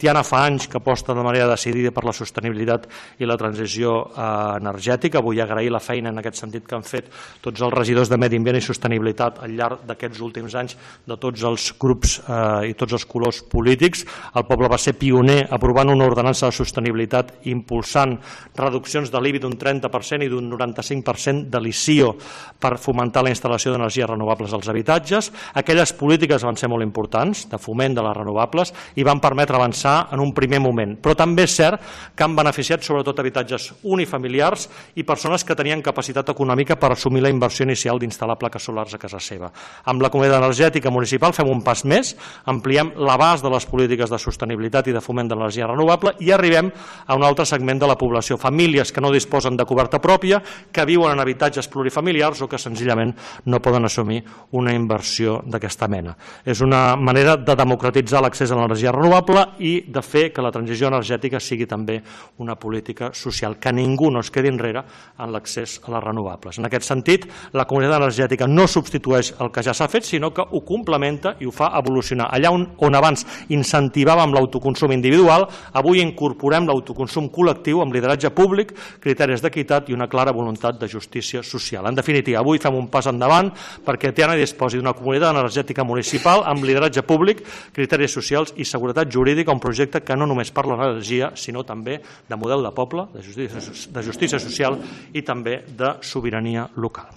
Tiana fa anys que aposta de manera decidida per la sostenibilitat i la transició energètica. Vull agrair la feina en aquest sentit que han fet tots els regidors de Medi Ambient i Sostenibilitat al llarg d'aquests últims anys de tots els grups i tots els colors polítics. El poble va ser pioner aprovant una ordenança de sostenibilitat impulsant reduccions de l'IBI d'un 30% i d'un 95% de l'ICIO per fomentar la instal·lació d'energies renovables als habitatges. Aquelles polítiques van ser molt importants de foment de les renovables i van permetre avançar en un primer moment, però també és cert que han beneficiat sobretot habitatges unifamiliars i persones que tenien capacitat econòmica per assumir la inversió inicial d'instal·lar plaques solars a casa seva. Amb la Comunitat Energètica Municipal fem un pas més, ampliem l'abast de les polítiques de sostenibilitat i de foment de l'energia renovable i arribem a un altre segment de la població, famílies que no disposen de coberta pròpia, que viuen en habitatges plurifamiliars o que senzillament no poden assumir una inversió d'aquesta mena. És una manera de democratitzar l'accés a l'energia renovable i de fer que la transició energètica sigui també una política social, que ningú no es quedi enrere en l'accés a les renovables. En aquest sentit, la comunitat energètica no substitueix el que ja s'ha fet, sinó que ho complementa i ho fa evolucionar. Allà on abans incentivàvem l'autoconsum individual, avui incorporem l'autoconsum col·lectiu amb lideratge públic, criteris d'equitat i una clara voluntat de justícia social. En definitiva, avui fem un pas endavant perquè Tiana disposi d'una comunitat energètica municipal amb lideratge públic, criteris socials i seguretat jurídica, un projecte que no només parla d'energia, sinó també de model de poble, de justícia social i també de sobirania local.